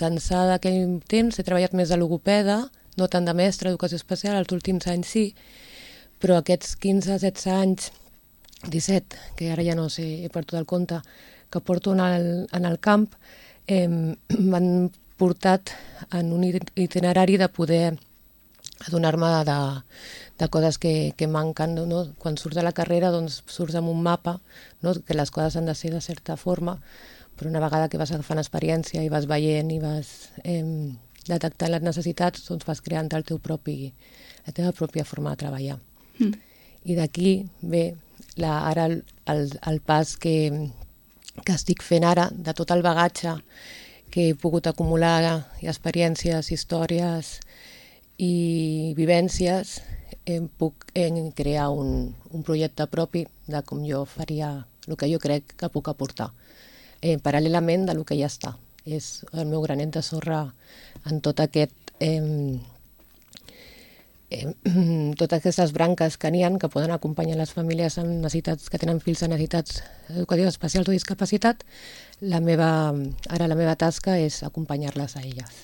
d'ençà d'aquell temps he treballat més de logopeda, no tant de mestre d'educació especial, els últims anys sí, però aquests 15, 16 anys, 17, que ara ja no sé, he perdut el compte, que porto en el camp, m'han portat en un itinerari de poder adonar-me de coses que manquen. No? Quan surts de la carrera doncs, surts amb un mapa, no? Que les coses han de ser de certa forma, però una vegada que vas agafant experiència i vas veient i vas detectant les necessitats, doncs vas creant la teva pròpia forma de treballar. I d'aquí ve ara el pas que estic fent ara, de tot el bagatge que he pogut acumular, i experiències, històries i vivències, puc crear un projecte propi de com jo faria el que jo crec que puc aportar, paral·lelament del que ja està. És el meu granet de sorra en tot aquest... totes aquestes branques que n'hi ha que poden acompanyar les famílies amb necessitats, que tenen fills amb necessitats educatives especials o discapacitat. La meva tasca és acompanyar-les a elles.